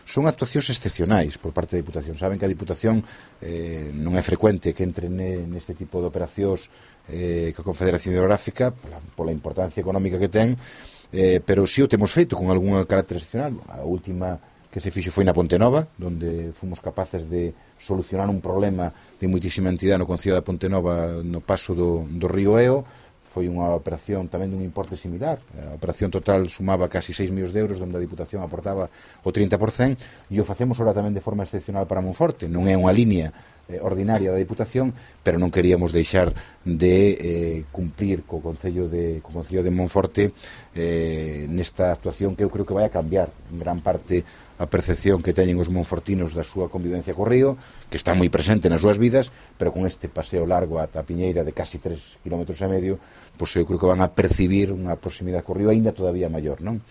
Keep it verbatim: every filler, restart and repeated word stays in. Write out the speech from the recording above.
son actuacións excepcionais por parte da Diputación. Saben que a Diputación eh, non é frecuente que entre ne, neste tipo de operacións eh, que a Confederación Hidrográfica, pola, pola importancia económica que ten, eh, pero si o temos feito con algún carácter excepcional. A última que se fixo foi na Ponte Nova, donde fomos capaces de solucionar un problema de moitísima entidade no Concello da Ponte Nova no paso do, do río Eo. Foi unha operación tamén dun importe similar. A operación total sumaba casi seis millóns de euros, onde a Diputación aportaba o trinta por cento, e o facemos ahora tamén de forma excepcional para Monforte. Non é unha línea eh, ordinaria da Diputación, pero non queríamos deixar de eh, cumplir co Concello de, co Concello de Monforte eh, nesta actuación que eu creo que vai a cambiar en gran parte a percepción que teñen os monfortinos da súa convivencia co río, que está moi presente nas súas vidas, pero con este paseo largo ata a Piñeira de casi tres kilómetros e medio, pois eu creo que van a percibir unha proximidade co río aínda todavía maior, non?